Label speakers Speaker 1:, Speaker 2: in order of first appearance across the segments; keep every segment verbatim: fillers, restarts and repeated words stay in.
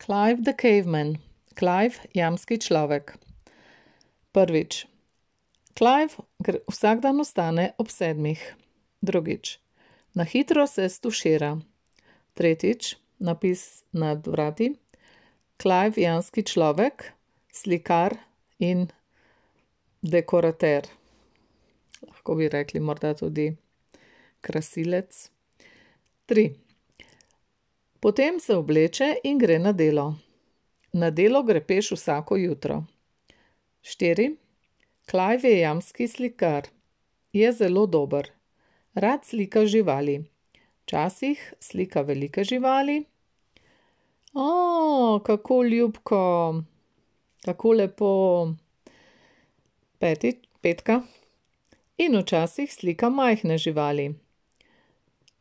Speaker 1: Clive the Caveman. Clive, jamski človek. Prvič. Clive vsak dan vstane ob sedmih. Drugič. Na hitro se stušira. Tretjič. Napis nad vrati. Clive, jamski človek, slikar in dekorater. Lahko bi rekli morda tudi krasilec. Tri. Potem se obleče in gre na delo. Na delo gre peš vsako jutro. Štiri. Clive je jamski slikar. Je zelo dober. Rad slika živali. Včasih slika velike živali. O, kako ljubko. Kako lepo. Peti, petka. In včasih slika majhne živali.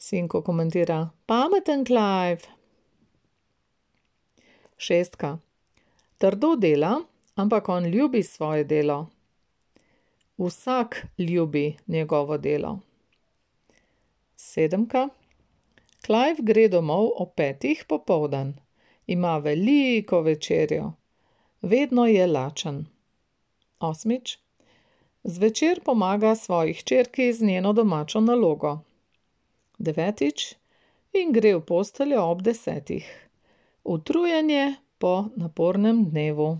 Speaker 1: Sinko komentira: Pameten Clive. Šestka. Trdo dela, ampak on ljubi svoje delo. Vsak ljubi njegovo delo. Sedemka. Clive gre domov ob petih popoldan. Ima veliko večerjo. Vedno je lačen. Osmič. Zvečer pomaga svoji hčerki z njeno domačo nalogo. Devetič. In gre v posteljo ob desetih. Utrujen je po napornem dnevu.